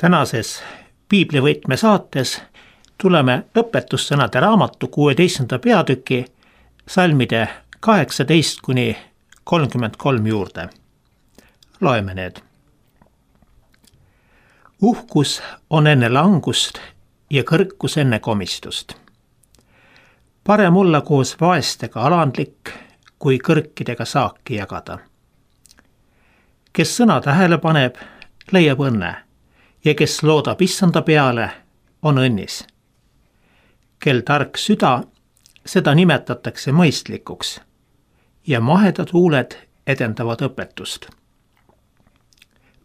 Tänases Piiblivõtme saates tuleme õpetussõnade raamatu 16. peatüki salmide 18–33 juurde. Loeme need. Uhkus on enne langust ja kõrkus enne komistust. Parem olla koos vaestega alandlik, kui kõrkidega saaki jagada. Kes sõna tähele paneb, leiab õnne ja kes loodab issanda peale, on õnnis. Kel tark süda, seda nimetatakse mõistlikuks ja mahedad huuled edendavad õpetust.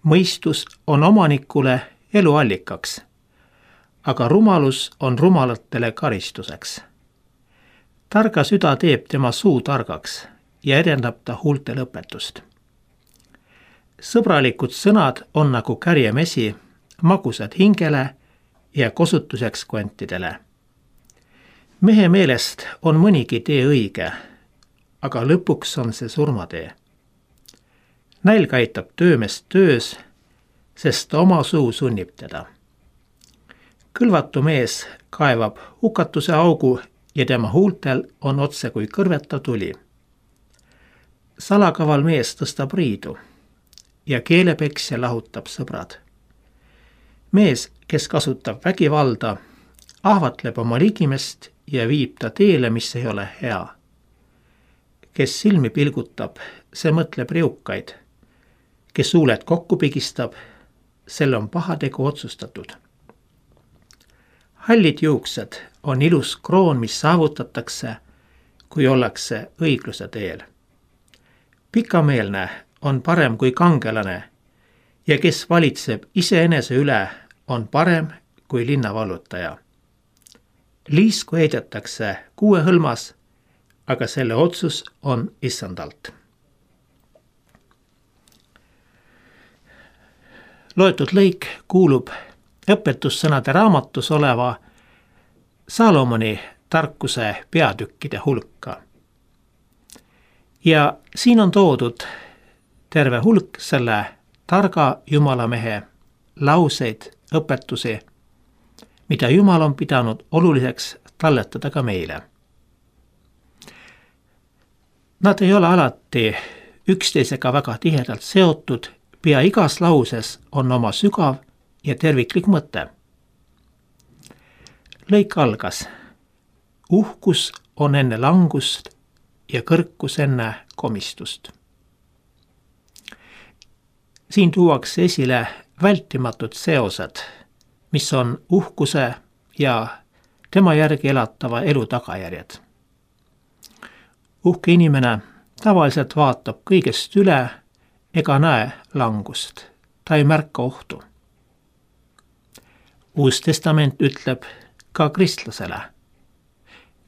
Mõistus on omanikule eluallikaks, aga rumalus on rumalatele karistuseks. Targa süda teeb tema suu targaks ja edendab ta huultel õpetust. Sõbralikud sõnad on nagu kärjemesi, magusad hingele ja kosutuseks kvantidele. Mehe meelest on mõnigi tee õige, aga lõpuks on see surmatee. Nälg aitab töömest töös, sest ta oma suu sunnib teda. Kõlvatu mees kaevab hukatuse augu ja tema huultel on otse kui kõrveta tuli. Salakaval mees tõstab riidu ja keelepeksja lahutab sõbrad. Mees, kes kasutab vägivalda, ahvatleb oma ligimest ja viib ta teele, mis ei ole hea. Kes silmi pilgutab, see mõtleb riukaid. Kes huuled kokku pigistab, sel on pahategu otsustatud. Hallid juuksed on ilus kroon, mis saavutatakse, kui ollakse õigluse teel. Pikameelne on parem kui kangelane ja kes valitseb iseenese üle, on parem kui linnavallutaja. Liisku heidetakse kuuehõlmas, aga selle otsus on issandalt. Loetud lõik kuulub õpetussõnade raamatus oleva Salomoni tarkuse peatükkide hulka. Ja siin on toodud terve hulk selle targa jumalamehe lauseid, õpetusi, mida Jumal on pidanud oluliseks talletada ka meile. Nad ei ole alati üksteisega väga tihedalt seotud, pea igas lauses on oma sügav ja terviklik mõte. Lõik algas. Uhkus on enne langust ja kõrkus enne komistust. Siin tuuakse esile vältimatud seosed, mis on uhkuse ja tema järgi elatava elu tagajärjed. Uhke inimene tavaliselt vaatab kõigest üle ega näe langust. Ta ei märka ohtu. Uus testament ütleb ka kristlasele,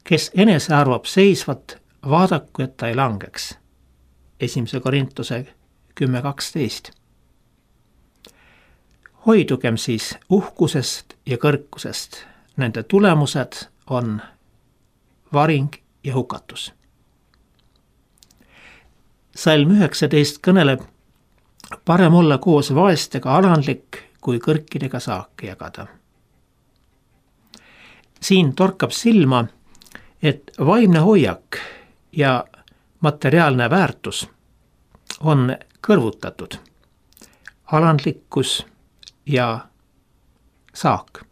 kes enese arvab seisvat, vaadaku, et ta ei langeks. 1. Korintuse 10:12. Hoidugem siis uhkusest ja kõrkusest. Nende tulemused on varing ja hukatus. Salm 19 kõneleb, parem olla koos vaestega alandlik, kui kõrkidega saaki jagada. Siin torkab silma, et vaimne hoiak ja materiaalne väärtus on kõrvutatud. Alandlikkus ja saak.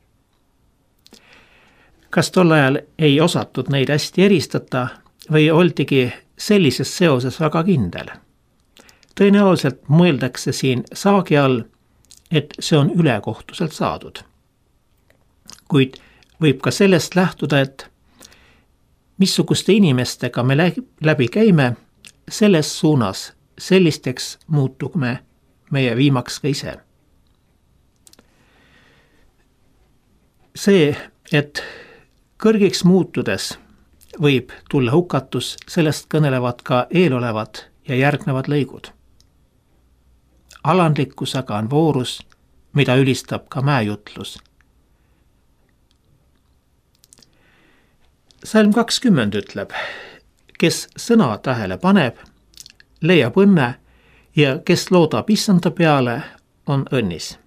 Kas tol ajal ei osatud neid hästi eristada või oldigi sellises seoses väga kindel? Tõenäoliselt mõeldakse siin saagi all, et see on ülekohtuselt saadud. Kuid võib ka sellest lähtuda, et missuguste inimestega me läbi käime, selles suunas sellisteks muutume meie viimaks ka ise. See, et kõrgiks muutudes võib tulla hukatus, sellest kõnelevad ka eelolevad ja järgnevad lõigud. Alandlikkus aga on voorus, mida ülistab ka mäejutlus. Salm 20 ütleb, kes sõna tähele paneb, leiab õnne ja kes loodab issanda peale, on õnnis.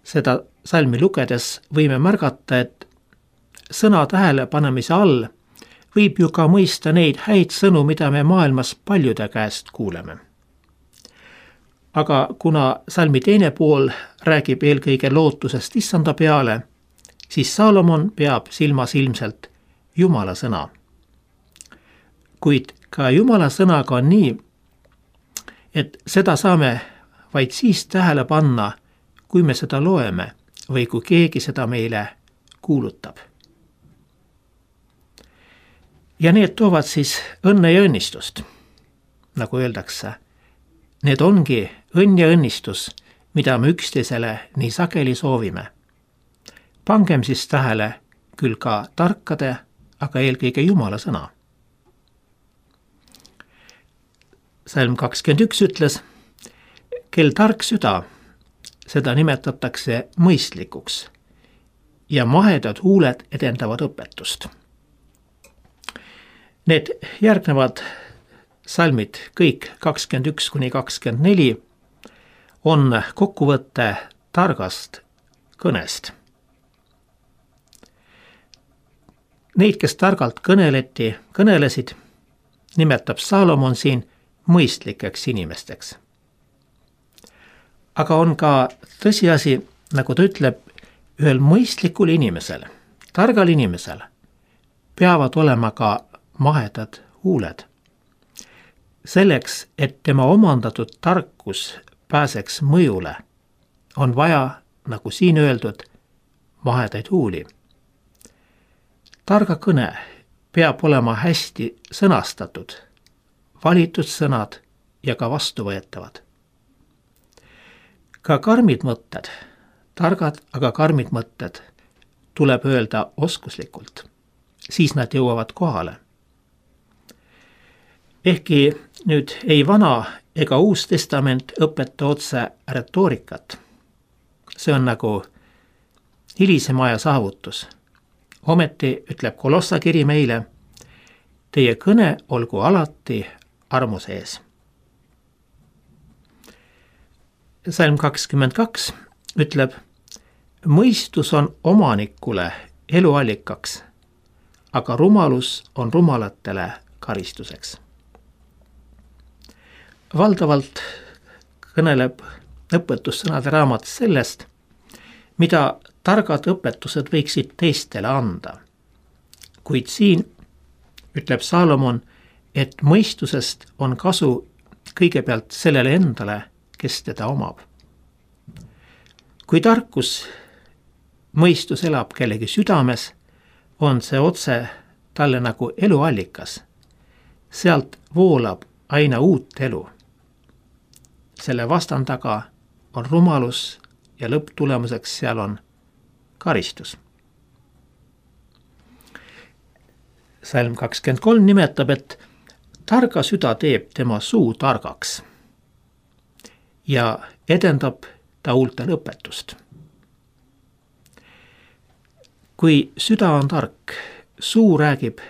seda salmi lugedes võime märgata, et sõna tähelepanemise all võib ju ka mõista neid häid sõnu, mida me maailmas paljude käest kuuleme. Aga kuna salmi teine pool räägib eelkõige lootusest issanda peale, siis Saalomon peab silmas ilmselt Jumala sõna. Kuid ka Jumala sõnaga on nii, et seda saame vaid siis tähele panna, kui me seda loeme või kui keegi seda meile kuulutab. Ja need toovad siis õnne ja õnnistust, nagu öeldakse. Need ongi õnn ja õnnistus, mida me üksteisele nii sageli soovime. Pangem siis tähele küll ka tarkade, aga eelkõige Jumala sõna. Salm 21 ütles, kel tark süda, seda nimetatakse mõistlikuks ja mahedad huuled edendavad õpetust. Need järgnevad salmid, kõik 21–24, on kokkuvõte targast kõnest. Neid, kes targalt kõnelesid, nimetab Saalomon siin mõistlikeks inimesteks. Aga on ka tõsiasi, nagu ta ütleb, ühel mõistlikul inimesel, targal inimesel peavad olema ka mahedad huuled. Selleks, et tema omandatud tarkus pääseks mõjule, on vaja, nagu siin öeldud, mahedaid huuli. Targa kõne peab olema hästi sõnastatud, valitud sõnad ja ka vastuvõetavad. Ka karmid mõtted, targad, aga karmid mõtted tuleb öelda oskuslikult, siis nad jõuavad kohale. Ehkki nüüd ei Vana ega Uus Testament õpeta otse retoorikat. See on nagu hilisema aja saavutus. Ometi ütleb Kolossa kiri meile, teie kõne olgu alati armu sees. Salm 22 ütleb, mõistus on omanikule eluallikaks, aga rumalus on rumalatele karistuseks. Valdavalt kõneleb õpetussõnade raamat sellest, mida targad õpetused võiksid teistele anda. Kuid siin ütleb Saalomon, et mõistusest on kasu kõigepealt sellele endale, kes teda omab. Kui tarkus, mõistus elab kellegi südames, on see otse talle nagu eluallikas. Sealt voolab aina uut elu. Selle vastandaga on rumalus ja lõpptulemuseks seal on karistus. Salm 23 nimetab, et targa süda teeb tema suu targaks ja edendab ta huultel õpetust. Kui süda on tark, suu räägib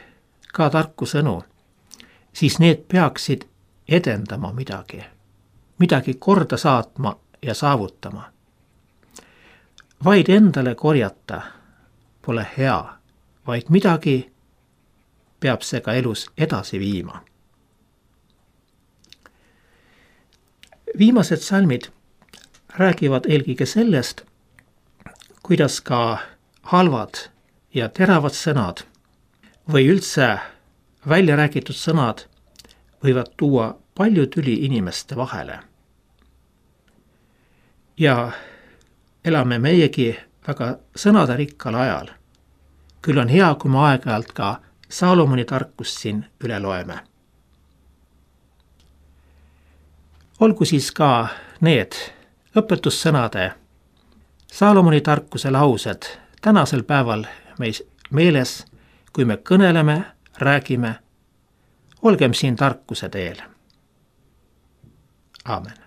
ka tarku sõnu, siis need peaksid edendama midagi korda saatma ja saavutama. Vaid endale korjata pole hea, vaid midagi peab see ka elus edasi viima. Viimased salmid räägivad eelkõige sellest, kuidas ka halvad ja teravad sõnad või üldse välja räägitud sõnad võivad tuua palju tüli inimeste vahele. Ja elame meiegi väga sõnaderikkal ajal. Küll on hea, kui me aeg-ajalt ka Saalomoni tarkust siin üle loeme. Olgu siis ka need õpetussõnade Saalomoni tarkuse laused tänasel päeval meis meeles, kui me kõneleme, räägime, olgem siin tarkuse teel. Aamen.